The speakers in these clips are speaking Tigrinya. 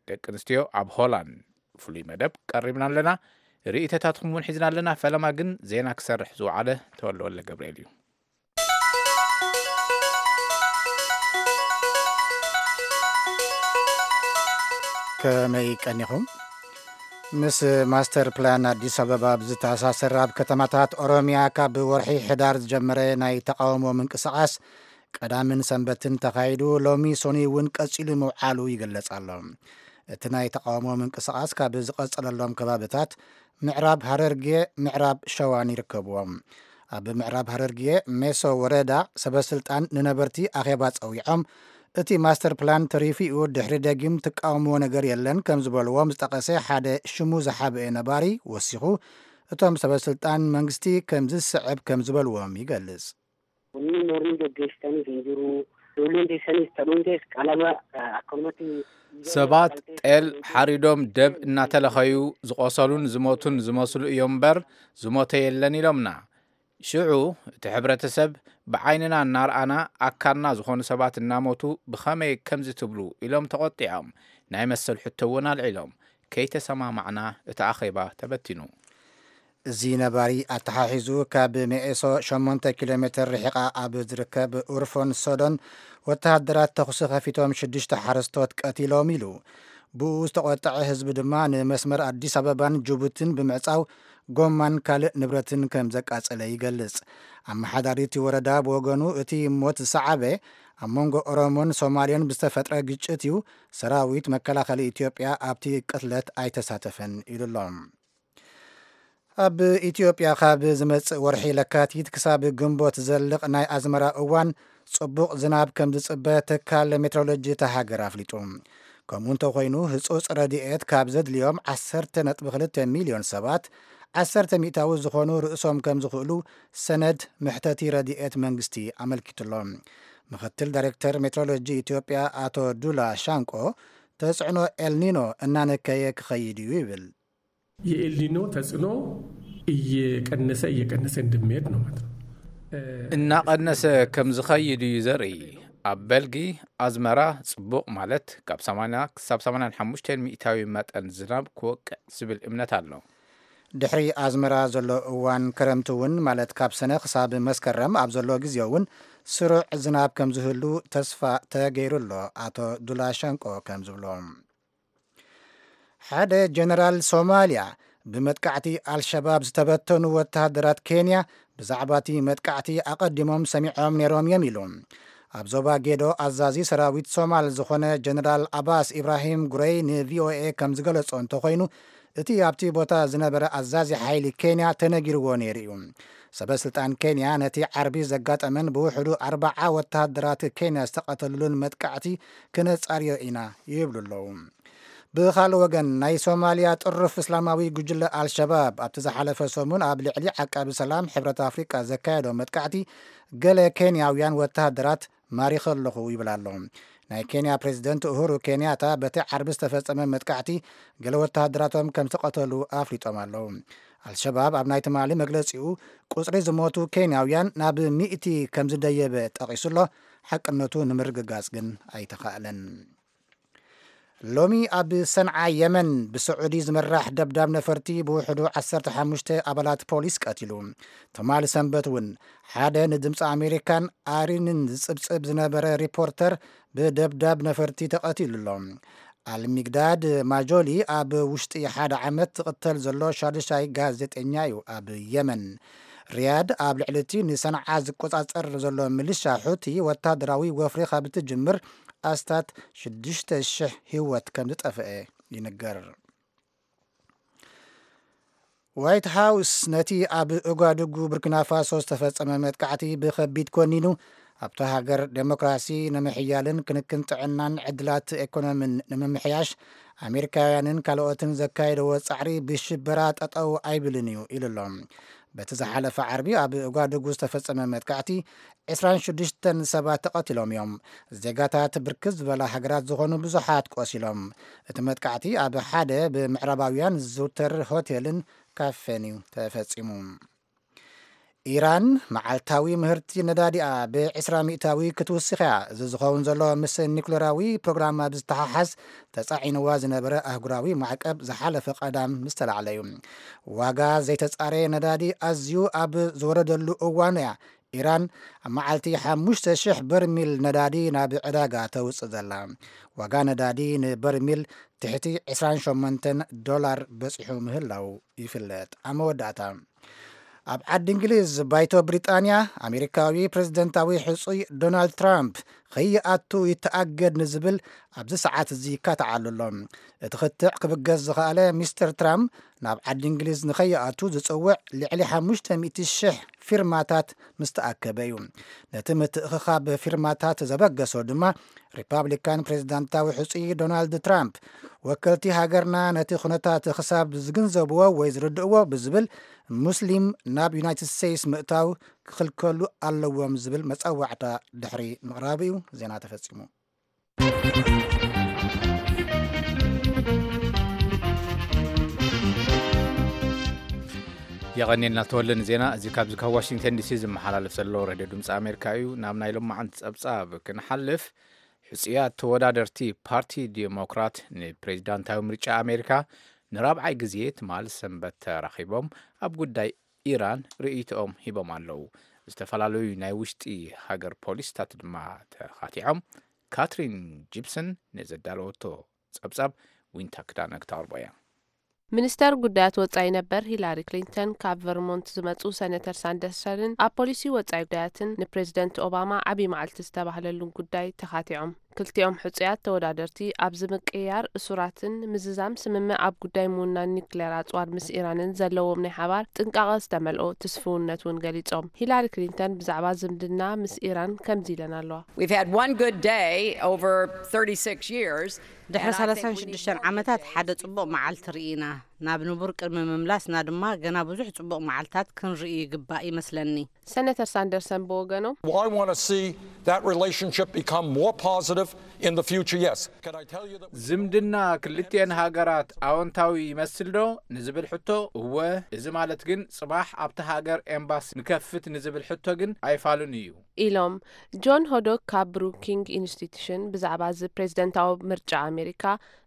ደቂ ኣንስትዮ ኣብ ሆላንድ ፍሉይ መደብ ቀሪብና ኣለና። ርእይቶታትኩም እውን ሒዝና ኣለና። ፈለማ ግን ዜና ክሰርሕ ዝወዓለ ተወልደወለ ገብርኤል እዩ። ከመይ ቀኒኹም? ምስ ማስተር ፕላን ኣዲስ ኣበባ ብዝተኣሳሰር ኣብ ከተማታት ኦሮሚያ ካብ ወርሒ ሕዳር ዝጀመረ ናይ ተቃውሞ ምንቅስቃስ ቀዳምን ሰንበትን ተኻይዱ ሎሚ ሶኒ እውን ቀጺሉ ምውዓሉ ይግለጽ ኣሎ። እቲ ናይ ተቃውሞ ምንቅስቃስ ካብ ዝቐጸለሎም ከባብታት ምዕራብ ሃረርጌ፣ ምዕራብ ሸዋን ይርከብዎም። ኣብ ምዕራብ ሃረርጌ ሜሶ ወረዳ ሰበስልጣን ንነበርቲ ኣኼባ ጸዊዖም እቲ ማስተር ፕላን ተሪፉ እዩ፣ ድሕሪ ደጊም ትቃወምዎ ነገር የለን ከም ዝበልዎም ዝጠቐሰ ሓደ ሽሙ ዝሓበአ ነባሪ ወሲኹ፣ እቶም ሰበስልጣን መንግስቲ ከም ዝስዕብ ከም ዝበልዎም ይገልጽ። Kunni mormii gaggeessitanis hin jiru. Ijoolleen teessanis ta'uuntees qalaba akkanumatti ሰባት ጤል ሓሪዶም ደብ እናተለኸዩ ዝቆሰሉን ዝሞቱን ዝመስሉ እዮም እምበር ዝሞተ የለን ኢሎምና። ሽዑ እቲ ሕብረተሰብ ብዓይንና እናርኣና ኣካልና ዝኾኑ ሰባት እናሞቱ ብኸመይ ከምዚ ትብሉ ኢሎም ተቖጢዖም ናይ መሰል ሕቶ እውን ኣልዒሎም። ከይተሰማማዕና እቲ ኣኼባ ተበቲኑ። እዚ ነባሪ ኣተሓሒዙ ካብ መኤሶ ሸሞንተ ኪሎ ሜትር ርሒቓ ኣብ ዝርከብ ኡርፎን ሶዶን ወተሃደራት ተኹሲ ከፊቶም ሽዱሽተ ሓረስቶት ቀቲሎም ኢሉ። ብኡ ዝተቖጠዐ ህዝቢ ድማ ንመስመር ኣዲስ ኣበባን ጅቡትን ብምዕጻው ጎማን ካልእ ንብረትን ከም ዘቃጸለ ይገልጽ። ኣመሓዳሪ እቲ ወረዳ ብወገኑ እቲ ሞት ዝሰዓበ ኣብ መንጎ ኦሮሞን ሶማሌን ብዝተፈጥረ ግጭት እዩ። ሰራዊት መከላኸሊ ኢትዮጵያ ኣብቲ ቅትለት ኣይተሳተፈን ኢሉ ኣሎ። ኣብ ኢትዮጵያ ካብ ዝመጽእ ወርሒ ለካቲት ክሳብ ግንቦት ዝዘልቕ ናይ ኣዝመራ እዋን ጽቡቕ ዝናብ ከም ዝጽበ ትካል ሜትሮሎጂ እታ ሃገር ኣፍሊጡ። ከምኡ እንተኾይኑ ህጹጽ ረድኤት ካብ ዘድልዮም ዓሰርተ ነጥቢ ክልተ ሚልዮን ሰባት ዓሰርተ ሚእታዊ ዝኾኑ ርእሶም ከም ዝኽእሉ ሰነድ መሕተቲ ረድኤት መንግስቲ ኣመልኪቱ ኣሎ። ምኽትል ዳይሬክተር ሜትሮሎጂ ኢትዮጵያ ኣቶ ዱላ ሻንቆ ተጽዕኖ ኤልኒኖ እናነከየ ክኸይድ እዩ ይብል። የኤልኒኖ ተጽዕኖ እየቀነሰ እየቀነሰ እንደሚሄድ ነው ማለት ነው። እናቐነሰ ከም ዝኸይድ እዩ ዘርኢ። ኣብ በልጊ ኣዝመራ ጽቡቕ ማለት ካብ ሰማንያ ክሳብ ሰማንያን ሓሙሽተን ሚእታዊ መጠን ዝናብ ክወቅዕ ዝብል እምነት ኣሎ። ድሕሪ ኣዝመራ ዘሎ እዋን ክረምቲ እውን ማለት ካብ ሰነ ክሳብ መስከረም ኣብ ዘሎ ግዜ እውን ስሩዕ ዝናብ ከም ዝህሉ ተስፋ ተገይሩ ኣሎ። ኣቶ ዱላ ሸንቆ ከም ዝብሎ ሓደ ጀነራል ሶማልያ ብመጥቃዕቲ ኣልሸባብ ዝተበተኑ ወተሃደራት ኬንያ ብዛዕባ እቲ መጥቃዕቲ ኣቐዲሞም ሰሚዖም ነይሮም እዮም ኢሉ። ኣብ ዞባ ጌዶ ኣዛዚ ሰራዊት ሶማል ዝኾነ ጀነራል ኣባስ ኢብራሂም ጉረይ ንቪኦኤ ከም ዝገለጾ እንተኾይኑ እቲ ኣብቲ ቦታ ዝነበረ ኣዛዚ ሓይሊ ኬንያ ተነጊርዎ ነይሩ እዩ። ሰበ ስልጣን ኬንያ ነቲ ዓርቢ ዘጋጠመን ብውሕዱ ኣርባዓ ወተሃደራት ኬንያ ዝተቐተሉሉን መጥቃዕቲ ክነጻርዮ ኢና ይብሉ ኣለዉ። ብኻልእ ወገን ናይ ሶማልያ ጥሩፍ እስላማዊ ጉጅለ ኣልሸባብ ኣብቲ ዝሓለፈ ሰሙን ኣብ ልዕሊ ዓቃቢ ሰላም ሕብረት ኣፍሪቃ ዘካየዶ መጥቃዕቲ ገለ ኬንያውያን ወተሃደራት ማሪኸ ኣለኹ ይብል ኣሎ። ናይ ኬንያ ፕሬዚደንት ኡሁሩ ኬንያታ በቲ ዓርቢ ዝተፈጸመ መጥቃዕቲ ገለ ወተሃደራቶም ከም ዝተቐተሉ ኣፍሊጦም ኣለዉ። ኣልሸባብ ኣብ ናይ ትማሊ መግለጺኡ ቁጽሪ ዝሞቱ ኬንያውያን ናብ ሚእቲ ከም ዝደየበ ጠቒሱ ኣሎ። ሓቅነቱ ንምርግጋጽ ግን ኣይተኻእለን። ሎሚ ኣብ ሰንዓ የመን ብስዑዲ ዝምራሕ ደብዳብ ነፈርቲ ብውሕዱ ዓሰርተ ሓሙሽተ ኣባላት ፖሊስ ቀቲሉ። ትማሊ ሰንበት እውን ሓደ ንድምፂ ኣሜሪካን ኣሪንን ዝፅብፅብ ዝነበረ ሪፖርተር ብደብዳብ ነፈርቲ ተቐቲሉ ኣሎ። ኣልሚግዳድ ማጆሊ ኣብ ውሽጢ ሓደ ዓመት ዝቕተል ዘሎ ሻድሻይ ጋዜጠኛ እዩ ኣብ የመን። ሪያድ ኣብ ልዕሊ እቲ ንሰንዓ ዝቆጻጸር ዘሎ ምልሻ ሑቲ ወታደራዊ ወፍሪ ካብ እትጅምር ኣስታት ሽዱሽተ ሽሕ ህይወት ከም ዝጠፍአ ይንገር። ዋይት ሃውስ ነቲ ኣብ ኡጋዱጉ ቡርኪና ፋሶ ዝተፈጸመ መጥቃዕቲ ብኸቢድ ኮኒኑ ኣብታ ሃገር ዴሞክራሲ ንምሕያልን ክንክን ጥዕናን ዕድላት ኤኮኖሚን ንምምሕያሽ ኣሜሪካውያንን ካልኦትን ዘካየደዎ ጻዕሪ ብሽበራ ጠጠው ኣይብልን እዩ ኢሉ ኣሎ። በቲ ዝሓለፈ ዓርቢ ኣብ ኡጋዱጉ ዝተፈጸመ መጥቃዕቲ ዕስራን ሽዱሽተን ሰባት ተቐቲሎም እዮም። ዜጋታት ብርክት ዝበላ ሃገራት ዝኾኑ ብዙሓት ቆሲሎም። እቲ መጥቃዕቲ ኣብ ሓደ ብምዕራባውያን ዝዝውተር ሆቴልን ካፌን እዩ ተፈጺሙ። ኢራን መዓልታዊ ምህርቲ ነዳዲኣ ብ20% ክትውስኽ እያ። እዚ ዝኸውን ዘሎ ምስ ኒኩሌራዊ ፕሮግራማ ብዝተሓሓዝ ተጻዒንዋ ዝነበረ ኣህጉራዊ ማዕቀብ ዝሓለፈ ቀዳም ምስ ተላዕለ እዩ። ዋጋ ዘይተጻረየ ነዳዲ ኣዝዩ ኣብ ዝወረደሉ እዋን እያ ኢራን ኣብ መዓልቲ ሓሙሽተ ሽሕ በርሚል ነዳዲ ናብ ዕዳጋ ተውጽእ ዘላ። ዋጋ ነዳዲ ንበርሚል ትሕቲ ዕስራን ሸሞንተን ዶላር በጺሑ ምህላው ይፍለጥ። ኣብ መወዳእታ፣ ኣብ ዓዲ እንግሊዝ ባይቶ ብሪጣንያ ኣሜሪካዊ ፕሬዝደንታዊ ሕጹይ ዶናልድ ትራምፕ ከይኣቱ ይተኣገድ ንዝብል ኣብዚ ሰዓት እዚ ይካትዓሉ ኣሎ። እቲ ክትዕ ክብገስ ዝኸኣለ ሚስተር ትራምፕ ናብ ዓዲ እንግሊዝ ንኸይኣቱ ዝጽውዕ ልዕሊ ሓሙሽተ ሚእቲ ሽሕ ፊርማታት ምስ ተኣከበ እዩ። ነቲ ምትእኽኻብ ፊርማታት ዘበገሶ ድማ ሪፓብሊካን ፕሬዝዳንታዊ ሕጹይ ዶናልድ ትራምፕ፣ ወከልቲ ሃገርና ነቲ ኩነታት ክሳብ ዝግንዘብዎ ወይ ዝርድእዎ ብዝብል፣ ሙስሊም ናብ ዩናይትድ ስቴትስ ምእታው ክኽልከሉ ኣለዎም ዝብል መጸዋዕታ ድሕሪ ምቕራቡ እዩ። ዜና ተፈጺሙ። የቐኔልና ተወለ ንዜና እዚ። ካብዚ ካብ ዋሽንግተን ዲሲ ዝመሓላለፍ ዘሎ ሬድዮ ድምፂ ኣሜሪካ እዩ። ናብ ናይ ሎማዓንቲ ጸብጻብ ክንሓልፍ፣ ሕጹያት ተወዳደርቲ ፓርቲ ዲሞክራት ንፕሬዚዳንታዊ ምርጫ ኣሜሪካ ንራብዓይ ግዜ ትማል ሰንበት ተራኺቦም ኣብ ጉዳይ ኢራን ርእይቶኦም ሂቦም ኣለዉ። ዝተፈላለዩ ናይ ውሽጢ ሃገር ፖሊስታት ድማ ተኻቲዖም። ካትሪን ጂፕሰን ንዘዳለወቶ ጸብጻብ ዊንታ ክዳነ ክተቕርቦ እያ። ሚኒስተር ጉዳያት ወጻኢ ነበር ሂላሪ ክሊንተን ካብ ቨርሞንት ዝመጹ ሰነተር ሳንደርሰንን ኣብ ፖሊሲ ወጻኢ ጉዳያትን ንፕሬዚደንት ኦባማ ዓብዪ መዓልቲ ዝተባህለሉን ጉዳይ ተኻቲዖም። ክልቲኦም ሕጹያት ተወዳደርቲ ኣብዚ ምቅይያር እሱራትን ምዝዛም ስምምዕ ኣብ ጉዳይ ምውናን ኒክሌር ኣጽዋር ምስ ኢራንን ዘለዎም ናይ ሓባር ጥንቃቐ ዝተመልኦ ትስፍውነት እውን ገሊጾም። ሂላሪ ክሊንተን ብዛዕባ ዝምድና ምስ ኢራን ከምዚ ኢለን ኣለዋ። We've had one good day over thirty-six years. ድሕሪ and I think we need ሰላሳን ሽዱሽተን more ዓመታት today ሓደ to ጽቡቕ መዓልቲ ርኢና። ናብ ንቡር ቅድሚ ምምላስና ድማ ገና ብዙሕ ጽቡቕ መዓልታት ክንርኢ ይግባእ ይመስለኒ። ሰነተር ሳንደርሰን ብወገኖም፣ Well, I want to see that relationship become more positive in the future, yes. Can I tell you that we ዝምድና ክልቲኤን ሃገራት ኣወንታዊ ይመስል ዶ ንዝብል ሕቶ፣ እወ። እዚ ማለት ግን ጽባሕ ኣብቲ ሃገር ኤምባሲ ንከፍት ንዝብል ሕቶ ግን ኣይፋሉን እዩ። ኢሎም። ጆን ሆዶክ ካብ ብሩኪንግ ኢንስቲትዩሽን ብዛዕባ እዚ ፕሬዝደንታዊ ምርጫ ኣሜሪካ፣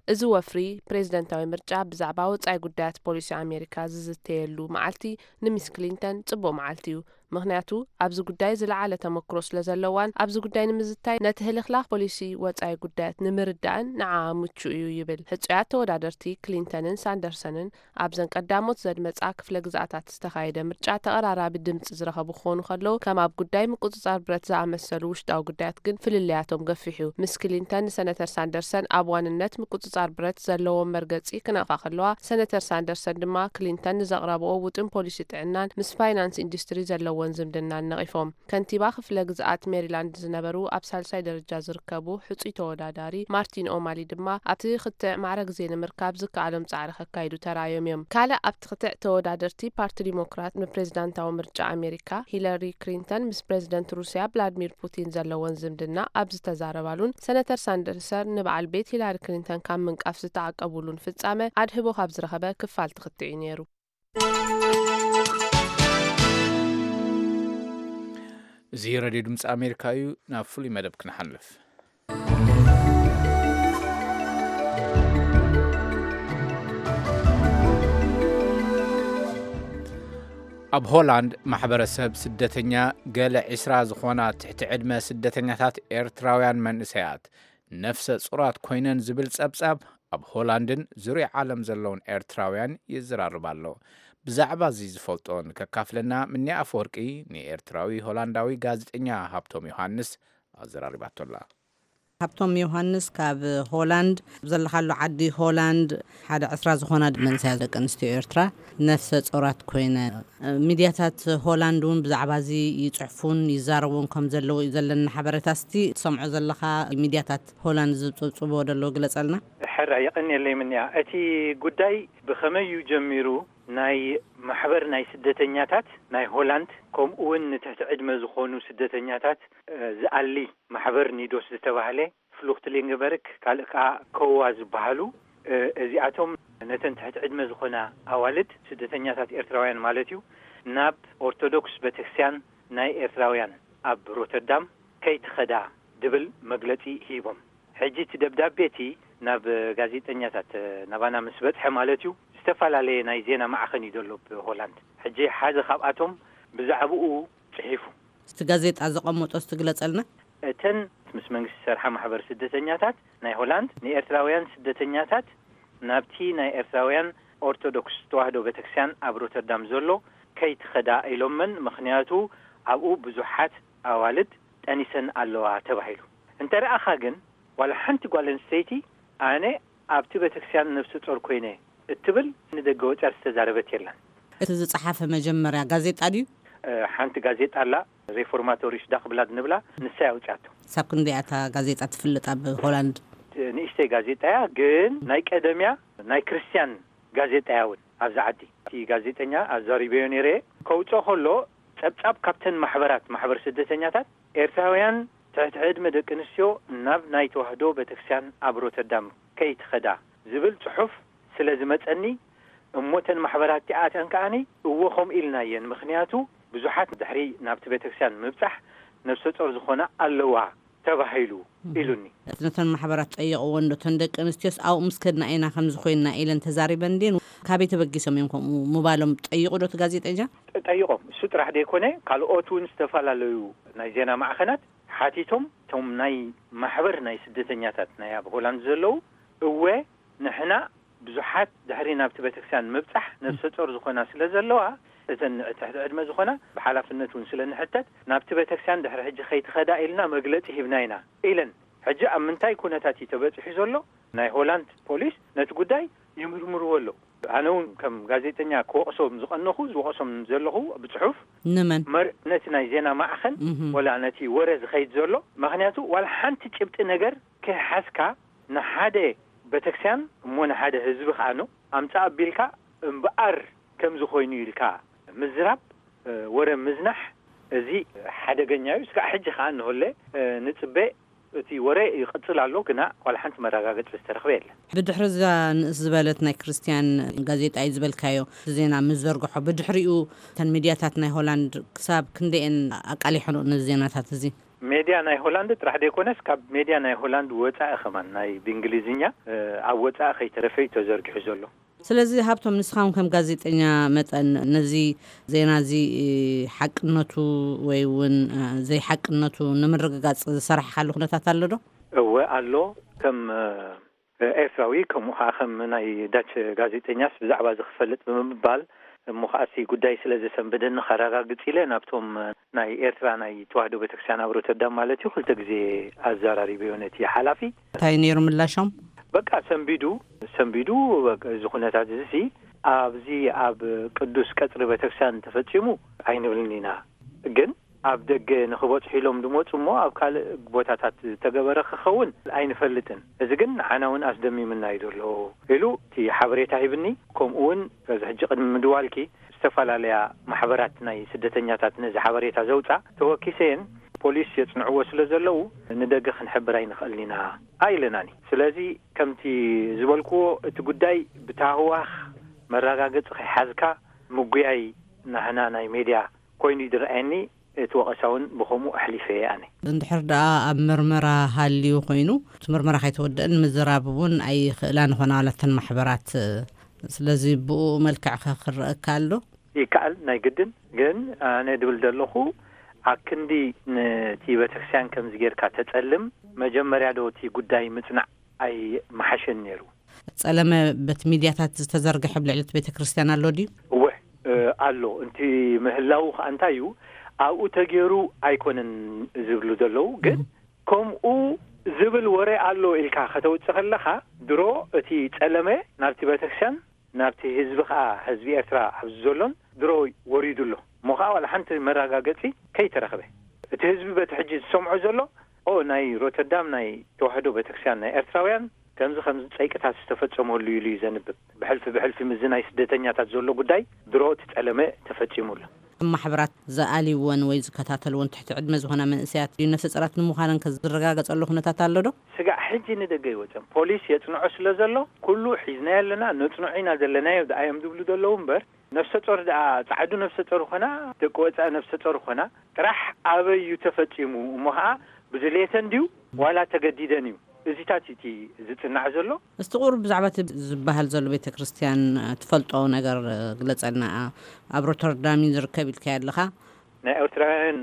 እዚ ወፍሪ ፕሬዝደንታዊ ምርጫ ብዛዕባ ወጻኢ ጉዳያት ፖሊሲ ኣሜሪካ ዝዝተየሉ መዓልቲ ንሚስ ክሊንተን ጽቡቕ መዓልቲ እዩ። ምኽንያቱ ኣብዚ ጉዳይ ዝለዓለ ተመክሮ ስለ ዘለዋን ኣብዚ ጉዳይ ንምዝታይ ነቲ ህልኽላኽ ፖሊሲ ወጻኢ ጉዳያት ንምርዳእን ንዓኣ ምቹእ እዩ ይብል። ሕጹያት ተወዳደርቲ ክሊንተንን ሳንደርሰንን ኣብዘን ቀዳሞት ዘድመጻ ክፍለ ግዝኣታት ዝተኻየደ ምርጫ ተቐራራቢ ድምጺ ዝረኸቡ ክኾኑ ከለዉ፣ ከም ኣብ ጉዳይ ምቁጽጻር ብረት ዝኣመሰሉ ውሽጣዊ ጉዳያት ግን ፍልልያቶም ገፊሕ እዩ። ምስ ክሊንተን ንሰነተር ሳንደርሰን ኣብ ዋንነት ምቁጽጻር ብረት ዘለዎም መርገጺ ክነቕፋ ከለዋ፣ ሰነተር ሳንደርሰን ድማ ክሊንተን ንዘቕረብኦ ውጥን ፖሊሲ ጥዕናን ምስ ፋይናንስ ኢንዱስትሪ ዘለዎን ዝምድናን ነቒፎም። ከንቲባ ክፍለ ግዝኣት ሜሪላንድ ዝነበሩ ኣብ ሳልሳይ ደረጃ ዝርከቡ ሕጹይ ተወዳዳሪ ማርቲን ኦማሊ ድማ ኣብቲ ክትዕ ማዕረ ግዜ ንምርካብ ዝከኣሎም ጻዕሪ ከካይዱ ተራእዮም እዮም። ካልእ ኣብቲ ክትዕ ተወዳደርቲ ፓርቲ ዲሞክራት ንፕሬዝዳንታዊ ምርጫ ኣሜሪካ ሂለሪ ክሊንተን ምስ ፕሬዝደንት ሩስያ ቭላድሚር ፑቲን ዘለወን ዝምድና ኣብ ዝተዛረባሉን ሰነተር ሳንደርሰን ንበዓል ቤት ሂላሪ ክሊንተን ካብ ምንቃፍ ዝተዓቀቡሉን ፍጻመ ኣድህቦ ካብ ዝረኸበ ክፋል ትኽትዕ እዩ ነይሩ። እዚ ሬድዮ ድምፂ ኣሜሪካ እዩ። ናብ ፍሉይ መደብ ክንሓልፍ። ኣብ ሆላንድ ማሕበረሰብ ስደተኛ፣ ገለ ዒስራ ዝኾና ትሕቲ ዕድመ ስደተኛታት ኤርትራውያን መንእሰያት ነፍሰ ጹራት ኮይነን ዝብል ጸብጻብ ኣብ ሆላንድን ዙርያ ዓለም ዘለውን ኤርትራውያን ይዘራርብ ኣሎ። ብዛዕባ እዚ ዝፈልጦ ንከካፍለና ምንያ ኣፈወርቂ ንኤርትራዊ ሆላንዳዊ ጋዜጠኛ ሃብቶም ዮሃንስ ኣዘራሪባቶ ኣላ። ሃብቶም ዮሃንስ ካብ ሆላንድ፣ ዘለኻሉ ዓዲ ሆላንድ ሓደ ዕስራ ዝኾና መንእሰያት ደቂ ኣንስትዮ ኤርትራ ነፍሰ ጾራት ኮይነ፣ ሚድያታት ሆላንድ እውን ብዛዕባ እዚ ይጽሕፉን ይዛረቡን ከም ዘለዉ እዩ ዘለና ሓበሬታ። እስቲ ትሰምዖ ዘለኻ ሚድያታት ሆላንድ ዝጽብጽብዎ ዘለዉ ግለጸልና። ሕራይ የቐንየለይ ምንያ። እቲ ጉዳይ ብኸመይ እዩ ጀሚሩ? ናይ ማሕበር ናይ ስደተኛታት ናይ ሆላንድ፣ ከምኡ እውን ንትሕቲ ዕድመ ዝኾኑ ስደተኛታት፣ እ፣ ዝኣሊ ማሕበር ኒዶስ ዝተባህለ፣ ፍሉክትሊንግበርግ፣ ካልእ ከኣ ኮዋ ዝበሃሉ፣ እ፣ እዚኣቶም ነተን ትሕቲ ዕድመ ዝኾና ኣዋልድ ስደተኛታት ኤርትራውያን ማለት እዩ፣ ናብ ኦርቶዶክስ ቤተክርስትያን ናይ ኤርትራውያን ኣብ ሮተርዳም ከይትኸዳ ድብል መግለጺ ሂቦም። ሕጂ እቲ ደብዳቤ እቲ ናብ ጋዜጠኛታት፣ ናባና ምስ በጽሐ ማለት እዩ፣ ዝተፈላለየ ናይ ዜና ማዕኸን እዩ ዘሎ ብሆላንድ። ሕጂ ሓደ ካብኣቶም ብዛዕባኡ ጽሒፉ። እቲ ጋዜጣ ዘቐመጦ እስቲ ግለጸልና። እተን ምስ መንግስቲ ዝሰርሓ ማሕበር ስደተኛታት ናይ ሆላንድ ንኤርትራውያን ስደተኛታት ናብቲ ናይ ኤርትራውያን ኦርቶዶክስ ተዋህዶ ቤተክርስትያን ኣብ ሮተርዳም ዘሎ ከይትኸዳ ኢሎመን፣ ምኽንያቱ ኣብኡ ብዙሓት ኣዋልድ ጠኒሰን ኣለዋ ተባሂሉ። እንተ ረኣኻ ግን ዋላ ሓንቲ ጓል ኣንስተይቲ ኣነ ኣብቲ ቤተክርስትያን ነፍሰ ጾር ኮይነ እትብል ንደገ ወጽያ ዝተዛረበት የላን። እቲ ዝጸሓፈ መጀመርያ ጋዜጣ ድዩ? እ፣ ሓንቲ ጋዜጣ ኣላ፣ ሬፎርማቶሪሽ ዳግብላድ ንብላ፣ ንሳ እያ ኣውጽኣቶ። ሳብ ክንደይ እያ እታ ጋዜጣ ትፍልጥ ኣብ ሆላንድ? ንእሽተይ ጋዜጣ እያ፣ ግን ናይ ቀደምያ ናይ ክርስትያን ጋዜጣ እያ እውን ኣብዚ ዓዲ። እቲ ጋዜጠኛ ኣዛሪበዮ ነይረ፣ ከውጽኦ ከሎ ጸብጻብ ካብተን ማሕበራት፣ ማሕበር ስደተኛታት ኤርትራውያን ትሕቲ ዕድመ ደቂ ኣንስትዮ ናብ ናይ ተዋህዶ ቤተክርስትያን ኣብ ሮተርዳም ከይትኸዳ ዝብል ጽሑፍ ስለ ዝመጸኒ፣ እሞ እተን ማሕበራት እቲኣተን ከኣኒ እዎ ከምኡ ኢልናየን፣ ምኽንያቱ ብዙሓት ድሕሪ ናብቲ ቤተክርስትያን ምብጻሕ ነፍሰ ጾር ዝኾና ኣለዋ ተባሂሉ ኢሉኒ። ነተን ማሕበራት ጠየቕዎ እንዶ እተን ደቂ ኣንስትዮስ ኣብኡ ምስ ከድና ኢና ከምዚ ኮይንና ኢለን ተዛሪበን ድየን? ካበይ ተበጊሶም እዮም ከምኡ ምባሎም ጠይቑ ዶ እቲ ጋዜጠኛ? ጠ-፣ ጠይቖም። እሱ ጥራሕ ደይኮነ ካልኦት እውን ዝተፈላለዩ ናይ ዜና ማዕኸናት ሓቲቶም፣ እቶም ናይ ማሕበር ናይ ስደተኛታት ናይ ኣብ ሆላንድ ዘለዉ፣ እወ ንሕና ብዙሓት ድሕሪ ናብቲ ቤተክርስትያን ምብጻሕ ነፍሰ ጾር ዝኾና ስለ ዘለዋ፣ እተን ትሕቲ ዕድመ ዝኾና ብሓላፍነት እውን ስለ ንሕተት ናብቲ ቤተክርስትያን ድሕሪ ሕጂ ከይትኸዳ ኢልና መግለጺ ሂብና ኢና ኢለን። ሕጂ ኣብ ምንታይ ኩነታት እዩ ተበጺሑ ዘሎ? ናይ ሆላንድ ፖሊስ ነቲ ጉዳይ ይምርምርዎ ኣለዉ። ኣነ እውን ከም ጋዜጠኛ ክወቕሶም ዝቐነኹ፣ ዝወቕሶም ዘለኹ ብጽሑፍ ንመን? መር-፣ ነቲ ናይ ዜና ማዕኸን እህ። ወላ ነቲ ወረ ዝኸይድ ዘሎ። ምኽንያቱ ዋላ ሓንቲ ጭብጢ ነገር ከይሓዝካ ንሓደ ቤተክርስትያን እሞ ንሓደ ህዝቢ ከኣ ነው ኣምጻእ ኣቢልካ እምበኣር ከምዚ ኮይኑ ኢልካ ምዝራብ፣ እ፣ ወረ ምዝናሕ፣ እዚ ሓደገኛ እዩ። እስካዕ ሕጂ ከኣ እንሆለ፣ እ፣ ንጽበ እቲ ወረ ይቕጽል ኣሎ፣ ግና ዋላ ሓንቲ መረጋገጺ ዝተረኽበ የለን። ብድሕሪ እዛ ንእስ ዝበለት ናይ ክርስትያን ጋዜጣ እዩ ዝበልካዮ ዜና ምስ ዘርግሖ፣ ብድሕሪኡ እተን ሚድያታት ናይ ሆላንድ ክሳብ ክንደየን ኣቃሊሖ ነዚ ዜናታት እዚ? ሜድያ ናይ ሆላንድ ጥራሕ ደይኮነስ፣ ካብ ሜድያ ናይ ሆላንድ ወጻኢ ከማን ናይ ብእንግሊዝኛ፣ እ፣ ኣብ ወጻኢ ከይተረፈ እዩ ተዘርጊሑ ዘሎ። ስለዚ ሃብቶም፣ ንስኻ እውን ከም ጋዜጠኛ መጠን ነዚ ዜና እዚ ሓቅነቱ ወይ እውን ዘይሓቅነቱ ንምርግጋጽ ዝሰራሕካሉ ኩነታት ኣሎ ዶ? እወ ኣሎ። ከም ኤርትራዊ ከምኡ ከዓ ከም ናይ ዳች ጋዜጠኛስ ብዛዕባ እዚ ክፈልጥ ብምባል እሞ ከዓ እቲ ጉዳይ ስለ ዘሰንበደኒ ከረጋግጽ ኢለ ናብቶም ናይ ኤርትራ ናይ ተዋህዶ ቤተክርስትያን ኣብ ሮተርዳም ማለት እዩ ክልተ ግዜ ኣዘራሪበዮ ነቲ ሓላፊ። እንታይ ነይሩ ምላሾም? በቃ ሰንቢዱ፣ ሰንቢዱ፣ በቃ እዚ ኩነታት እዚ ሲ ኣብዚ ኣብ ቅዱስ ቀጽሪ ቤተክርስትያን ተፈጺሙ ኣይንብልን ኢና፣ ግን ኣብ ደገ ንኽበጽሑ ኢሎም ዝመጹ እሞ ኣብ ካልእ ቦታታት ዝተገበረ ክኸውን ኣይንፈልጥን። እዚ ግን ንዓና እውን ኣስደሚምና እዩ ዘሎ ኢሉ እቲ ሓበሬታ ሂብኒ። ከምኡ እውን በዚ ሕጂ ቅድሚ ምድዋልኪ ዝተፈላለያ ማሕበራት ናይ ስደተኛታት ነዚ ሓበሬታ ዘውጻ ተወኪሰየን ፖሊስ የጽንዕዎ ስለ ዘለዉ ንደገ ክንሕብር ኣይንኽእልን ኢና ኣይለናኒ። ስለዚ ከምቲ ዝበልክዎ እቲ ጉዳይ ብታህዋኽ መረጋገጺ ከይሓዝካ ምጉያይ ናህና ናይ ሜድያ ኮይኑ እዩ ዝረኣየኒ። እቲ ወቐሳ እውን ብኸምኡ ኣሕሊፈ እየ ኣነ። እንድሕር ደኣ ኣብ ምርመራ ሃልዩ ኮይኑ፣ እቲ ምርመራ ከይተወደአን ምዝራብ እውን ኣይኽእላን ይኾና ዋላ እተን ማሕበራት። ስለዚ ብኡ መልክዕ ከ ክረአ እከኣል ዶ? ይከኣል፣ ናይ ግድን። ግን ኣነ ድብል ዘለኹ፣ ኣብ ክንዲ ነቲ ቤተክርስትያን ከምዚ ጌርካ ተጸልም፣ መጀመርያ ዶ እቲ ጉዳይ ምጽናዕ ኣይመሓሸን ነይሩ? ጸለመ በቲ ሚድያታት ዝተዘርግሐ ኣብ ልዕሊ እቲ ቤተክርስትያን ኣሎ ድዩ? እወ፣ እ፣ ኣሎ። እንቲ ምህላዉ ከኣ እንታይ እዩ፣ ኣብኡ ተገይሩ ኣይኮነን ዝብሉ ዘለዉ፣ ግን እህ። ከምኡ ዝብል ወረ ኣሎ ኢልካ ከተውጽእ ከለኻ፣ ድሮ እቲ ጸለመ ናብቲ ቤተክርስትያን፣ ናብቲ ህዝቢ ከኣ፣ ህዝቢ ኤርትራ ኣብዚ ዘሎን ድሮ ወሪዱ ኣሎ። እሞ ከኣ ዋላ ሓንቲ መረጋገጺ ከይተረኽበ። እቲ ህዝቢ በቲ ሕጂ ዝሰምዖ ዘሎ፣ ኦ፣ ናይ ሮተርዳም ናይ ተዋህዶ ቤተክርስትያን ናይ ኤርትራውያን ከምዚ ከምዚ ጸይቅታት ዝተፈጸመሉ ኢሉ እዩ ዘንብብ። ብሕልፊ ብሕልፊ ምስዚ ናይ ስደተኛታት ዘሎ ጉዳይ ድሮ እቲ ጸለመ ተፈጺሙ ኣሎ። ማሕበራት ዝኣልይወን ወይ ዝከታተልወን ትሕቲ ዕድመ ዝኾና መንእሰያት ድዩ ነፍሰ ጸራት ንምዃነን ከ ዝረጋገጸሉ ኩነታት ኣሎ ዶ? ስጋዕ ሕጂ ንደገ ይወፅም ፖሊስ የፅንዖ ስለ ዘሎ ኩሉ ሒዝናዮ ኣለና፣ ነፅንዖ ኢና ዘለናዮ ደኣ እዮም ዝብሉ ዘለዉ እምበር፣ ነፍሰ ጾር ደኣ ጻዕዱ ነፍሰ ጾር ኾና፣ ደቂ ወፃኢ ነፍሰ ጾር ኾና፣ ጥራሕ ኣበይ እዩ ተፈጺሙ እሞ ኸዓ ብድሌተን ድዩ ዋላ ተገዲደን እዩ? እዚታት እቲ ዝጽናዕ ዘሎ። እስቲ ቁሩብ ብዛዕባ እቲ ዝበሃል ዘሎ ቤተ ክርስቲያን ትፈልጦ ነገር ግለጸልና። ኣብ ሮተርዳም እዩ ዝርከብ ኢልካዮ ኣለኻ። ናይ ኤርትራውያን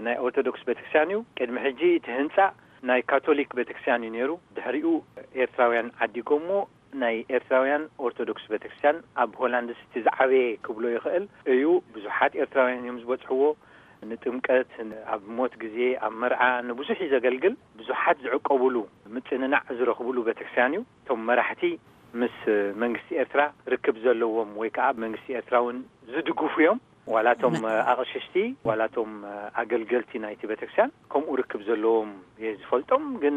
ናይ ኦርቶዶክስ ቤተክርስትያን እዩ። ቅድሚ ሕጂ እቲ ህንጻ ናይ ካቶሊክ ቤተክርስትያን እዩ ነይሩ። ድሕሪኡ ኤርትራውያን ዓዲጎሞ ናይ ኤርትራውያን ኦርቶዶክስ ቤተክርስትያን ኣብ ሆላንድ እቲ ዝዓበየ ክብሎ ይኽእል እዩ። ብዙሓት ኤርትራውያን እዮም ዝበጽሕዎ። ንጥምቀት፣ ኣብ ሞት ግዜ፣ ኣብ መርዓ ንብዙሕ እዩ ዘገልግል። ብዙሓት ዝዕቀቡሉ ምጽንናዕ ዝረኽብሉ ቤተክርስትያን እዩ። እቶም መራሕቲ ምስ መንግስቲ ኤርትራ ርክብ ዘለዎም ወይ ከዓ መንግስቲ ኤርትራ እውን ዝድግፉ እዮም። ዋላ እቶም ኣቕሽሽቲ ዋላ እቶም ኣገልገልቲ ናይቲ ቤተክርስትያን ከምኡ ርክብ ዘለዎም እየ ዝፈልጦም። ግን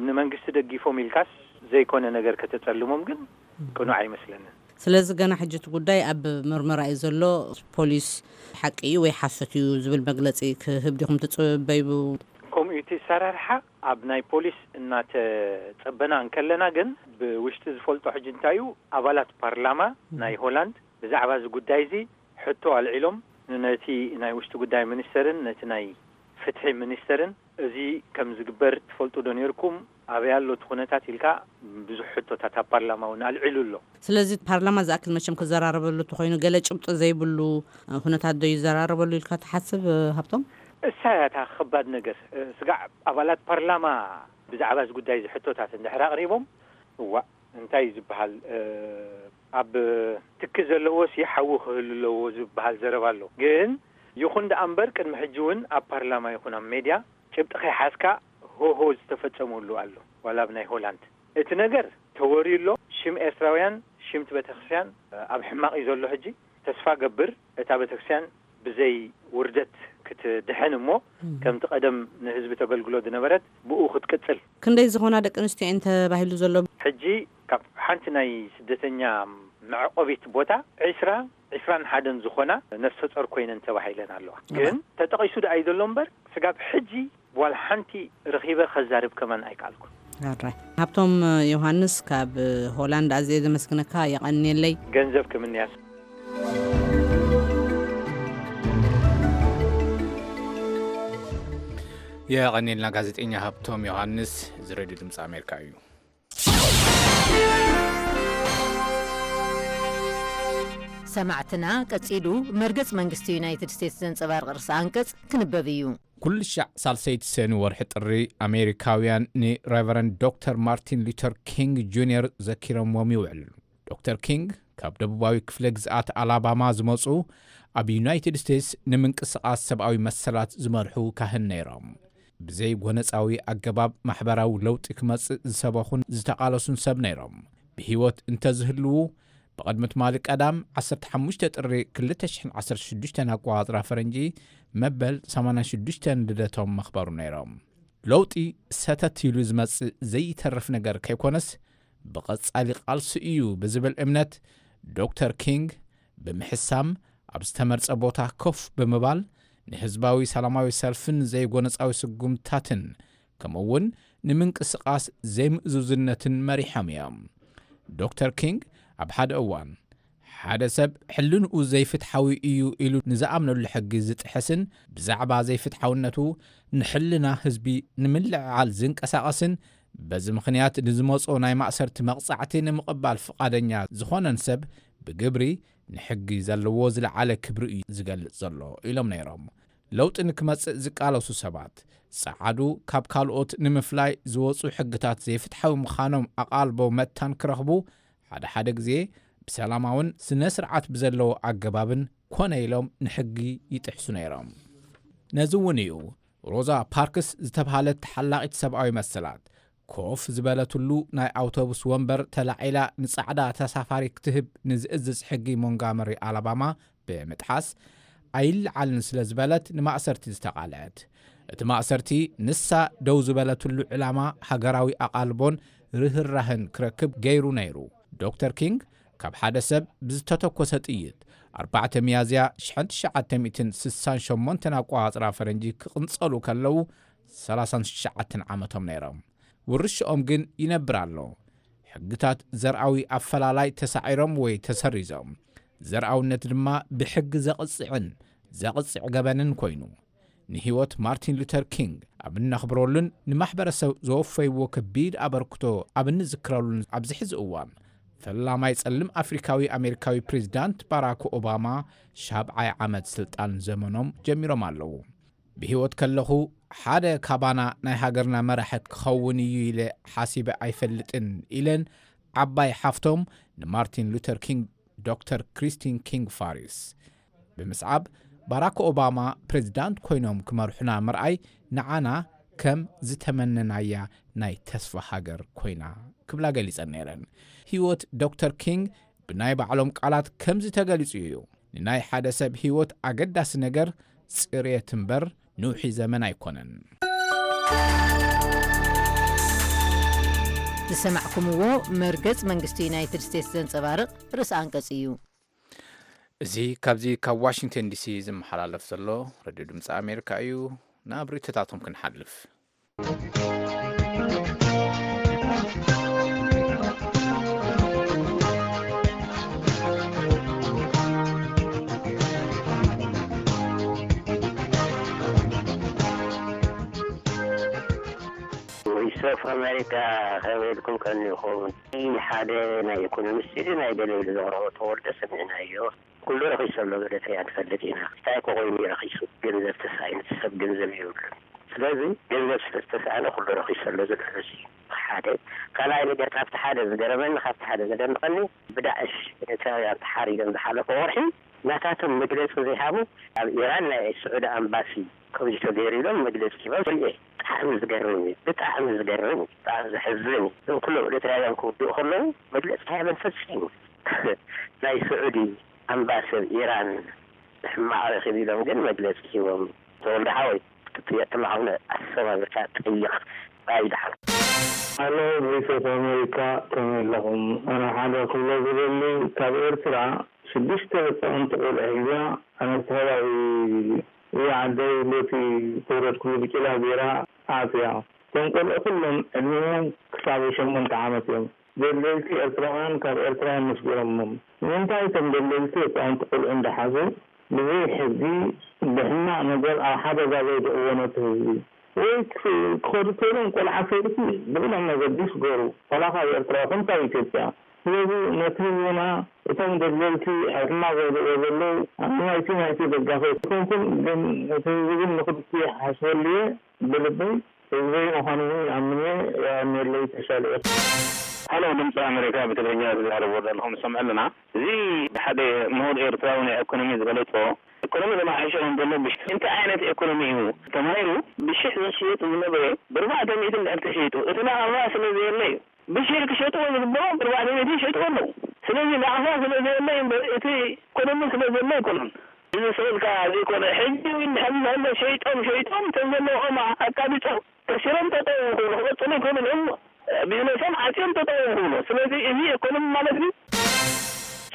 ንመንግስቲ ደጊፎም ኢልካስ ዘይኮነ ነገር ከተጸልሞም ግን ቅኑዕ ኣይመስለንን። ስለዚ ገና ሕጂ እቲ ጉዳይ ኣብ ምርመራ እዩ ዘሎ። ፖሊስ ሓቂ እዩ ወይ ሓሶት እዩ ዝብል መግለጺ ክህብ ዲኹም ትጽበዩ? ከምኡ እዩ እቲ ኣሰራርሓ። ኣብ ናይ ፖሊስ እናተጸበና እንከለና ግን ብውሽጢ ዝፈልጦ ሕጂ እንታይ እዩ፣ ኣባላት ፓርላማ ናይ ሆላንድ ብዛዕባ እዚ ጉዳይ እዚ ሕቶ ኣልዒሎም ነቲ ናይ ውሽጢ ጉዳይ ሚኒስተርን ነቲ ናይ ፍትሒ ሚኒስተርን፣ እዚ ከም ዝግበር ትፈልጡ ዶ ነይርኩም? ኣበይ ኣሎ እቲ ኩነታት ኢልካ ብዙሕ ሕቶታት ኣብ ፓርላማ እውን ኣልዒሉ ኣሎ። ስለዚ ፓርላማ ዝኣክል መቸም ክዘራረበሉ እንተኾይኑ፣ ገለ ጭብጢ ዘይብሉ ኩነታት ዶ ይዘራረበሉ ኢልካ ትሓስብ፣ ሃብቶም? እሳ እያ እታ ከባድ ነገር። ስጋዕ ኣባላት ፓርላማ ብዛዕባ እዚ ጉዳይ እዚ ሕቶታት እንድሕር ኣቕሪቦም፣ እዋእ፣ እንታይ እዩ ዝበሃል፣ ኣብ ትኪ ዘለዎስ ሓዊ ክህሉ ኣለዎ ዝበሃል ዘረባ ኣሎ። ግን ይኹን ደኣ እምበር ቅድሚ ሕጂ እውን ኣብ ፓርላማ ይኹን ኣብ ሜድያ ጭብጢ ከይሓዝካ ሆሆ ዝተፈጸመሉ ኣሎ። ዋላ ኣብ ናይ ሆላንድ እቲ ነገር ተወርዩ ኣሎ። ሽም ኤርትራውያን፣ ሽም እቲ ቤተክርስትያን ኣብ ሕማቕ እዩ ዘሎ ሕጂ። ተስፋ ገብር እታ ቤተክርስትያን ብዘይ ውርደት ክትድሕን እሞ፣ ከምቲ ቀደም ንህዝቢ ተገልግሎ ዝነበረት ብኡ ክትቅጽል። ክንደይ ዝኾና ደቂ ኣንስትዮ እየን ተባሂሉ ዘሎ? ሕጂ ካብ ሓንቲ ናይ ስደተኛ መዕቆቢት ቦታ ዒስራ፣ ዒስራን ሓደን ዝኾና ነፍሰ ጾር ኮይነን ተባሂለን ኣለዋ። እዋ። ግን ተጠቒሱ ደኣ እዩ ዘሎ እምበር፣ ስጋብ ሕጂ ዋላ ሓንቲ ረኺበ ከዛርብ ከማን ኣይከኣልኩን። ኣራይ። ሃብቶም ዮሃንስ ካብ ሆላንድ ኣዝየ ዘመስግነካ፣ የቐንየለይ። ገንዘብ ክምንያስ። የቐንየልና ጋዜጠኛ ሃብቶም ዮሃንስ። እዚ ሬድዮ ድምፂ ኣሜሪካ እዩ። ሰማዕትና፣ ቀጺሉ መርገጽ መንግስቲ ዩናይትድ ስቴትስ ዘንጸባርቕ ርእሰ ኣንቀጽ ክንበብ እዩ። ኩሉ ሻዕ ሳልሰይቲ ሰኑ ወርሒ ጥሪ ኣሜሪካውያን ንሬቨረንድ ዶክተር ማርቲን ሉተር ኪንግ ጁኒየር ዘኪሮምዎም ይውዕሉ። ዶክተር ኪንግ ካብ ደቡባዊ ክፍለ ግዝኣት ኣላባማ ዝመጹ፣ ኣብ ዩናይትድ ስቴትስ ንምንቅስቓስ ሰብኣዊ መሰላት ዝመርሑ ካህን ነይሮም። ብዘይ ጎነጻዊ ኣገባብ ማሕበራዊ ለውጢ ክመጽእ ዝሰበኹን ዝተቓለሱን ሰብ ነይሮም። ብህይወት እንተዝህልዉ፣ ብቕድሚ ትማሊ ቀዳም ዓሰርተ ሓሙሽተ ጥሪ ክልተ ሽሕን ዓሰርተ ሽዱሽተን ኣቆጻጽራ ፈረንጂ መበል ሰማንያን ሽዱሽተን ልደቶም መኽበሩ ነይሮም። ለውጢ ሰተት ኢሉ ዝመጽእ ዘይተርፍ ነገር ከይኮነስ፣ ብቐጻሊ ቃልሲ እዩ ብዝብል እምነት፣ ዶክተር ኪንግ ብምሕሳም ኣብ ዝተመርጸ ቦታ ኮፍ ብምባል ንህዝባዊ ሰላማዊ ሰልፍን ዘይጎነጻዊ ስጉምታትን ከምኡ እውን ንምንቅስቓስ ዘይምእዙዝነትን መሪሖም እዮም። ዶክተር ኪንግ ኣብ ሓደ እዋን፣ ሓደ ሰብ ሕልንኡ ዘይፍትሓዊ እዩ ኢሉ ንዝኣምነሉ ሕጊ ዝጥሕስን ብዛዕባ ዘይፍትሓውነቱ ንሕልና ህዝቢ ንምልዕዓል ዝንቀሳቐስን፣ በዚ ምኽንያት ንዝመጾ ናይ ማእሰርቲ መቕጻዕቲ ንምቕባል ፍቓደኛ ዝኾነን ሰብ ብግብሪ ንሕጊ ዘለዎ ዝለዓለ ክብሪ እዩ ዝገልጽ ዘሎ ኢሎም ነይሮም። ለውጢ ንክመጽእ ዝቃለሱ ሰባት፣ ጸዓዱ ካብ ካልኦት ንምፍላይ ዝወጹ ሕግታት ዘይፍትሓዊ ምዃኖም ኣቓልቦ መታን ክረኽቡ፣ ሓደ ሓደ ግዜ ብሰላማውን ስነ ስርዓት ብዘለዎ ኣገባብን ኮነ ኢሎም ንሕጊ ይጥሕሱ ነይሮም። ነዚ እውን እዩ ሮዛ ፓርክስ ዝተብሃለት ተሓላቒት ሰብኣዊ መሰላት፣ ኮፍ ዝበለትሉ ናይ ኣውቶቡስ ወንበር ተላዒላ ንጻዕዳ ተሳፋሪ ክትህብ ንዝእዝዝ ሕጊ ሞንጋመሪ ኣላባማ ብምጥሓስ ኣይለዓልን ስለ ዝበለት ንማእሰርቲ ዝተቓልዐት። እቲ ማእሰርቲ ንሳ ደው ዝበለትሉ ዕላማ ሃገራዊ ኣቓልቦን ርህራህን ክረክብ ገይሩ ነይሩ። ዶክተር ኪንግ ካብ ሓደ ሰብ ብዝተተኮሰ ጥይት ኣርባዕተ ሚያዝያ ሽሕን ትሽዓተ ሚእትን ስሳን ሸሞንተን ኣቆጻጽራ ፈረንጂ ክቕንጸሉ ከለዉ ሰላሳን ትሽዓተን ዓመቶም ነይሮም። ውርሻኦም ግን ይነብር ኣሎ። ሕግታት ዘርኣዊ ኣፈላላይ ተሳዒሮም ወይ ተሰሪዞም። ዘርኣውነት ድማ ብሕጊ ዘቕጽዕን ዘቕጽዕ ገበንን ኮይኑ። ንህይወት ማርቲን ሉተር ኪንግ ኣብ እነኽብረሉን ንማሕበረሰብ ዘወፈይዎ ከቢድ ኣበርክቶ ኣብ እንዝክረሉን ኣብዚ ሕዚ እዋን፣ ፈላማይ ጸሊም ኣፍሪካዊ ኣሜሪካዊ ፕሬዚዳንት ባራክ ኦባማ ሻብዓይ ዓመት ስልጣን ዘመኖም ጀሚሮም ኣለዉ። ብህይወት ከለኹ ሓደ ካባና ናይ ሃገርና መራሒ ክኸውን እዩ ኢለ ሓሲበ ኣይፈልጥን ኢለን ዓባይ ሓፍቶም ንማርቲን ሉተር ኪንግ ዶክተር ክሪስቲን ኪንግ ፋሪስ። ብምስዓብ ባራክ ኦባማ ፕሬዚዳንት ኮይኖም ክመርሑና ምርኣይ ንዓና ከም ዝተመነናያ ናይ ተስፋ ሃገር ኮይና ክብላ ገሊጸን ነይረን። ህይወት ዶክተር ኪንግ ብናይ ባዕሎም ቃላት ከምዚ ተገሊጹ እዩ። ንናይ ሓደ ሰብ ህይወት ኣገዳሲ ነገር ጽሬት እምበር ንውሒ ዘመን ኣይኮነን። ዝሰማዕኩምዎ መርገጽ መንግስቲ ዩናይትድ ስቴትስ ዘንጸባርቕ ርእሲ ኣንቀጽ እዩ። እዚ ካብዚ ካብ ዋሽንግተን ዲሲ ዝመሓላለፍ ዘሎ ረድዮ ድምፂ ኣሜሪካ እዩ። ናብ ርእይቶታቶም ክንሓልፍ። ቮይስ ኦፍ ኣሜሪካ ከመይ ኢልኩም ቀኒኹም? ሓደ ናይ ኢኮኖሚስት ናይ ገለ ኢሉ ዘቕረቦ ተወልደ ሰሚዕናዮ። ኩሉ ረኺሱ ኣሎ ብለተያ ንፈልጥ ኢና። እንታይ እኮ ኮይኑ እዩ ረኺሱ? ገንዘብ ተሳኢኑ፣ ሰብ ገንዘብ የብሉን። ስለዚ ገንዘብ ስለ ዝተሳእነ ኩሉ ረኺሱ ኣሎ ዝብል ርእሲ እዩ። ሓደ ካልኣይ ነገር ካብቲ ሓደ ዝገረመኒ ካብቲ ሓደ ዘደንቐኒ ብዳዕሽ ኤርትራውያን ተሓሪዶም ዝሓለፈ ወርሒ ናታቶም መግለፂ ዘይሃቡ ኣብ ኢራን ናይ ስዑዲ ኣምባሲ ከምዚ ተገይሩ ኢሎም መግለፂ ሂቦም ሪኤ። ብጣዕሚ ዝገርም እዩ፣ ብጣዕሚ ዝገርም እዩ፣ ብጣዕሚ ዘሕዝን እዩ። እዞም ኩሎም ኤርትራውያን ክውድኡ ከለዉ መግለፂ ኣይሃበን ፈፂሙ። ናይ ስዑዲ ኣምባሲ ኣብ ኢራን ሕማቕ ረኺቡ ኢሎም ግን መግለፂ ሂቦም። ተወልደ ሓወይ ክትጥየቅ ከለኻ እውን ኣሰማሚርካ ጠይቕ። ባይ ደሓን። ኣሎ ቮይስ ኦፍ ኣሜሪካ ከመይ ኣለኹም? ኣነ ሓደ ክብሎ ዝደሊ ካብ ኤርትራ ሽዱሽተ ህፃውንቲ ቆልዑ ሒዛ ኣነ ዝተኸባቢ እያ ዓደይ በቲ ዝተወለድኩሉ ብጭላ ገይራ ኣትያ። እቶም ቆልዑ ኩሎም ዕድሚኦም ክሳብ ሸሞንተ ዓመት እዮም። ደለይቲ ኤርትራውያን ካብ ኤርትራ እዮም መስጊሮሞም። ንምንታይ እቶም ደለይቲ ህፃውንቲ ቆልዑ እንዳሓዙ ብዘይ ሕጊ ብሕማቕ ነገር ኣብ ሓደጋ ዘውድቕዎ ነቲ ህዝቢ? ወይ ክኸዱ ተይሎም ቆልዓ ሰይቲ ብቕደም መገዲ ይስገሩ ዋላ ካብ ኤርትራ ይኹን ካብ ኢትዮጵያ። ስለዚ ነቲ ህዝብና እቶም ደለይቲ ኣብ ሕማቕ ዘውድቕዎ ዘለዉ ኣነ ናይቲ ናይቲ ደጋፊ ኣይኮንኩን ግን ነቲ ህዝቢ ግን ንኽልቲኡ ይሓስበሉ እየ ብልበይ ህዝበይ ምዃኑ እውን ይኣምን እየ የቐንየለይ ተሻለ እየ። ሃሎ ድምፂ ኣሜሪካ ብትግርኛ ዝዛረቡ ዘለኹም ንሰምዕ ኣለና። እዚ ሓደ ምሁር ኤርትራዊ ናይ ኢኮኖሚ ዝገለጾ ኢኮኖሚ ተመሓይሹ ከም ዘሎ ብሽ እንታይ ዓይነት ኢኮኖሚ እዩ ተማሂሩ ብሽሕ ዝሽየጥ ዝነበረ ብርባዕተ ሚእቲ እንድሕር ተሸይጡ እቲ ናቕፋ ስለ ዘየለ እዩ። ብሽሕ ክሸጥዎ ዝግበኦም ብርባዕተ ሚእቲ ይሸጥዎ ኣለዉ። ስለዚ ናቕፋ ስለ ዘየለ እዩ እምበር እቲ ኢኮኖሚ ስለ ዘሎ ኣይኮነን። እዚ ስእልካ ዘይኮነ ሕጂ እውን ድሕሪ ዘሎ ሸይጦም ሸይጦም እቶም ዘለዎም ኣቃቢጾም ከሲሮም ጠጠው ክብሉ ክቐፅሉ ኣይኮኑን እዮም ቢዝነሶም ዓፅዮም ጠጠው እዮም ክብሉ ስለዚ እዚ ኢኮኖሚ ማለት እዩ።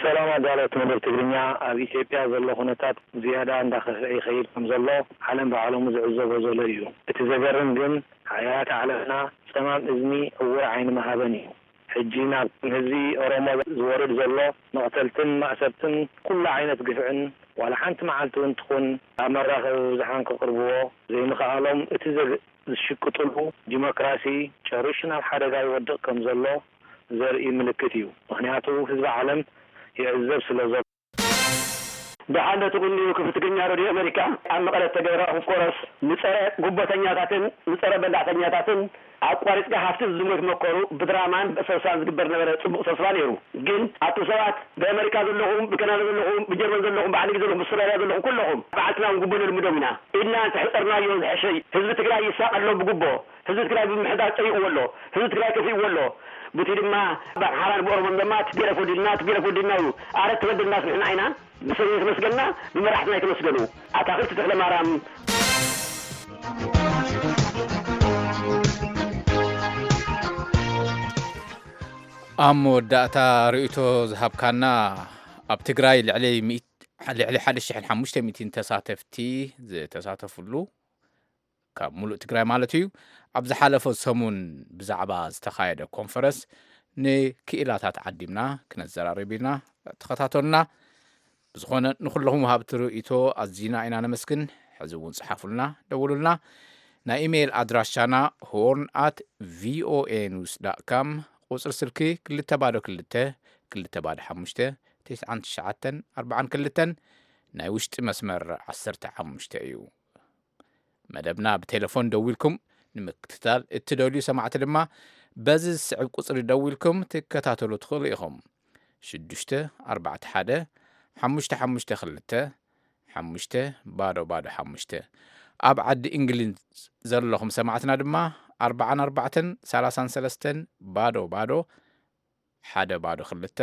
ሰላም ኣዳለውቲ መደብ ትግርኛ፣ ኣብ ኢትዮጵያ ዘሎ ኩነታት ዝያዳ እንዳኸፍአ ይኸይድ ከም ዘሎ ዓለም ብዓለሙ ዝዕዘቦ ዘሎ እዩ። እቲ ዘገርም ግን ሓያላት ዓለምና ጸማም እዝኒ ዕዉር ዓይኒ ምሃበን እዩ። ሕጂ ናብ ህዝቢ ኦሮሞ ዝወርድ ዘሎ መቕተልትን ማእሰርትን ኩሉ ዓይነት ግፍዕን ዋላ ሓንቲ መዓልቲ እውን ትኹን ኣብ መራኸቢ ብዙሓን ከቕርብዎ ዘይምኽኣሎም እቲ ዘግ ዝሽቅጥሉ ዲሞክራሲ ጨሪሹ ናብ ሓደጋ ይወድቕ ከም ዘሎ ዘርኢ ምልክት እዩ። ምኽንያቱ ህዝቢ ዓለም ይዕዘብ ስለ ዘሎ። ደሓን ዶ ትቕንዩ ክፍሊ ትግርኛ ረድዮ ኣመሪካ ኣብ መቐለ እተገብረ ኮንፈረንስ ንጸረ ጉቦተኛታትን ንጸረ በላዕተኛታትን ኣቋሪጽካ ሃፍቲ ዝሞት መከሩ ብድራማን ብእሰብሳን ዝግበር ነበረ ጽቡቕ ተስፋ ነይሩ ግን ኣቱም ሰባት ብኣመሪካ ዘለኹም ብካናዳ ዘለኹም ብጀርመን ዘለኹም ብዓዲ እንግሊዝ ዘለኹም ብኣውስትራልያ ዘለኹም ኩለኹም በዓልትና እውን ጉቦ ነልምዶም ኢና ኢድና እንተሕጸርናዮ ዝሕሸ እዩ ህዝቢ ትግራይ ይሳቐ ኣሎ ብጉቦ ህዝቢ ትግራይ ብምሕዳር ጸይቕዎ ኣሎ ህዝቢ ትግራይ ከፊእዎ ኣሎ ቡቲ ድማ ብኣምሓራን ብኦሮሞን ድማ ቲፒኤልኤፍ ወዲድና ቲፒኤልኤፍ ወዲድና እዩ ኣረ ተበደልናስ ንሕና ኢና ብሰብ ተመስገንና ብመራሕትና ኣይተመስገኑ ኣታኽልቲ ተኽለማርያም ኣብ መወዳእታ ርእይቶ ዝሃብካና ኣብ ትግራይ ልዕሊ ልዕሊ ሓደ ሽሕን ሓሙሽተ ሚእትን ተሳተፍቲ ዝተሳተፍሉ ካብ ሙሉእ ትግራይ ማለት እዩ ኣብ ዝሓለፈ ሰሙን ብዛዕባ ዝተኻየደ ኮንፈረንስ ንክኢላታት ዓዲምና ክነዘራርብ ኢና። ተኸታተሉና። ብዝኾነ ንኹለኹም ወሃብቲ ርእይቶ ኣዚና ኢና ነመስግን። ሕዚ እውን ጽሓፉልና፣ ደውሉልና። ናይ ኢሜይል ኣድራሻና ሆርን ኣት ቪኦኤ ኒውስ ዳት ካም፣ ቁጽሪ ስልኪ ክልተ ባዶ ክልተ ክልተ ባዶ ሓሙሽተ ትሽዓን ትሽዓተን ኣርባዓን ክልተን፣ ናይ ውሽጢ መስመር ዓሰርተ ሓሙሽተ እዩ። መደብና ብቴሌፎን ደዊልኩም ንምክትታል እትደልዩ ሰማዕቲ ድማ በዚ ዝስዕብ ቁጽሪ ደዊልኩም ትከታተሉ ትኽእሉ ኢኹም። ሽዱሽተ ኣርባዕተ ሓደ ሓሙሽተ ሓሙሽተ ክልተ ሓሙሽተ ባዶ ባዶ ሓሙሽተ። ኣብ ዓዲ እንግሊዝ ዘለኹም ሰማዕትና ድማ ኣርባዓን ኣርባዕተን ሰላሳን ሰለስተን ባዶ ባዶ ሓደ ባዶ ክልተ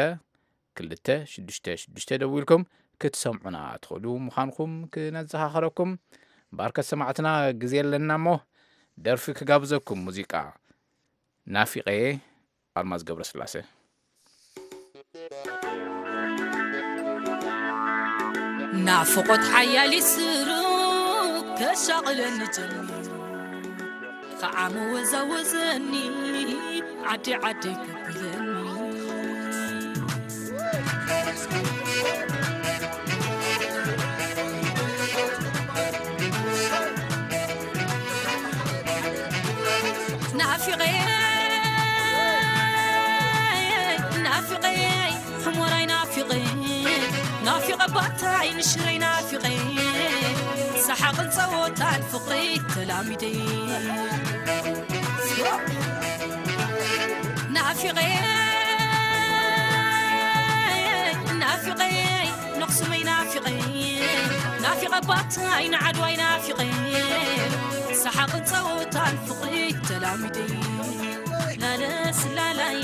ክልተ ሽዱሽተ ሽዱሽተ ደዊልኩም ክትሰምዑና ትኽእሉ ምዃንኩም ክነዘኻኸረኩም። ባርከት ሰማዕትና፣ ግዜ ኣለና እሞ ደርፊ ክጋብዘኩም። ሙዚቃ ናፊቐየ፣ ኣልማዝ ገብረስላሴ። ናፍቆት ሓያል ይስሩ ከሻቕለኒ ጀሚሩ፣ ኸዓ መወዛወዘኒ ዓዲ ዓዲ ከብለኒ። ናፊቐ፣ ናፊቐ፣ ሕሞራይ ናፊቐ፣ ናፊቐ ባታይ ንሽረይ ናፊቐ፣ ሰሓቕን ጸወታን ፍቕሪ ተላሚደ። ናፊቐ፣ ናፊቐ፣ ነኽስመይ ናፊቐ፣ ናፊቐ ባታይ ንዓድዋይ ናፊቐ፣ ሰሓቕን ጸወታን ፍቕሪ ተላሚደ። ላለ ስላላይ፣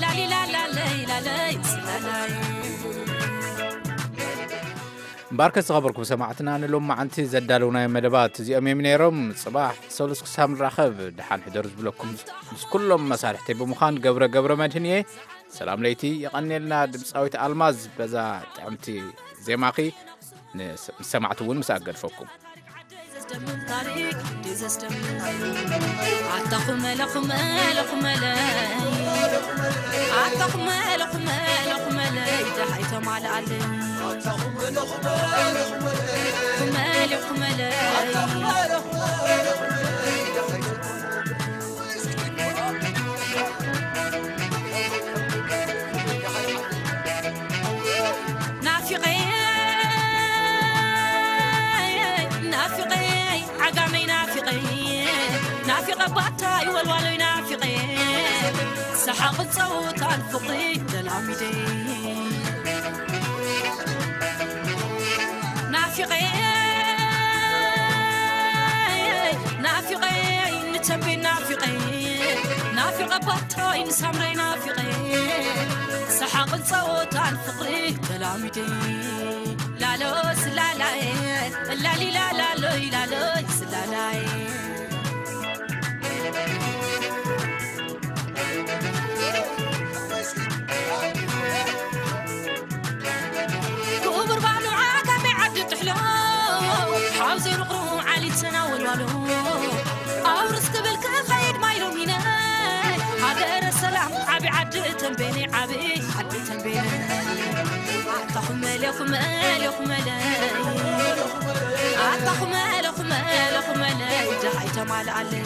ላሊ ላላለይ፣ ላለይ ስላላይ። እምበኣርከ ዝኸበርኩም ሰማዕትና፣ ንሎማዓንቲ ዘዳለውናዮ መደባት እዚኦም እዮም ነይሮም። ጽባሕ ሰሉስ ክሳብ ንራኸብ፣ ደሓን ሕደሩ ዝብለኩም ምስ ኩሎም መሳርሕተይ ብምዃን ገብረ ገብረ መድህን እየ። ሰላም ለይቲ፣ የቐንየልና ድምፃዊት ኣልማዝ በዛ ጥዕምቲ ዜማኺ። ንስ-፣ ምስ ሰማዕቲ እውን ምስ ኣገድፈኩም። ኣታ ኹመለ፣ ኹመለ፣ ኹመለ። ኣታ ኹመለ፣ ኹመለ፣ ኹመለ። ደሃይ ተማልኣለይ። ኹመለ፣ ኹመለ። ናፊቐ፣ ናፊቐ፣ ዓጋመይ ናፊቐ፣ ናፊቐ ባታይ ወልዋሎይ ናፊቐ፣ ሰሓቕ ጸወታን ፍቕሪ ተላሚደ። ናፊቐ፣ ናፊቐ፣ ንተንቤን ናፊቐ፣ ናፊቐ ባታይ ንሳምራይ ናፊቐ፣ ሰሓቕን ጸወታን ፍቕሪ ተላሚደ። ላሎ ስላላየ፣ ላሊ ላላሎይ ላሎይ ስላላየ። ክቡር ባህሉ ዓጋመ ዓዲ ጥሕሎ፣ ሓውዚ ርቕሩ ዓሊት ሰና ወልዋሎ፣ ኣውርስ ክብል ክኸይድ ማይ ሎሚነ፣ ሃገረ ሰላም ዓቢ ዓዲ ተንቤነ፣ ዓቢ ዓዲ ተንቤነ። ኣታ ኹመለ፣ ኹመለ፣ ኹመለ፣ ኣታ ኹመለ፣ ኹመለ፣ ኹመለ፣ ደሃይ ተማልኣለይ።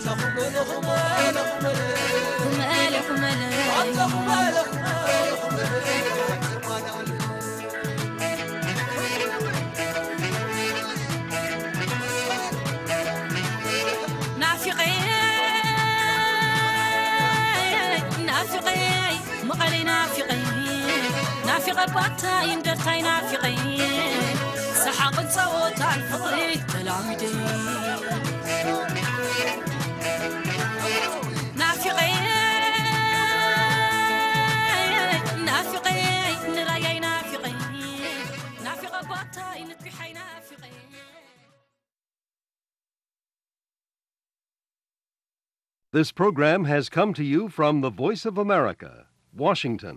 ኹመለ፣ ኹመለ። ናፊቐ፣ ናፊቐ፣ መቐለይ ናፊቐ፣ ናፊቐ ባታይ እንደርታይ ናፊቐ፣ ሰሓቕን ጸወታን ፍቕሪ ተላሚደ። ናፊቐ፣ ናፊቐ፣ ንራያይ ናፊቐ፣ ናፊቐ ባታይ ንኩሓይ ናፊቐ። This program has come to you from the Voice of America, Washington.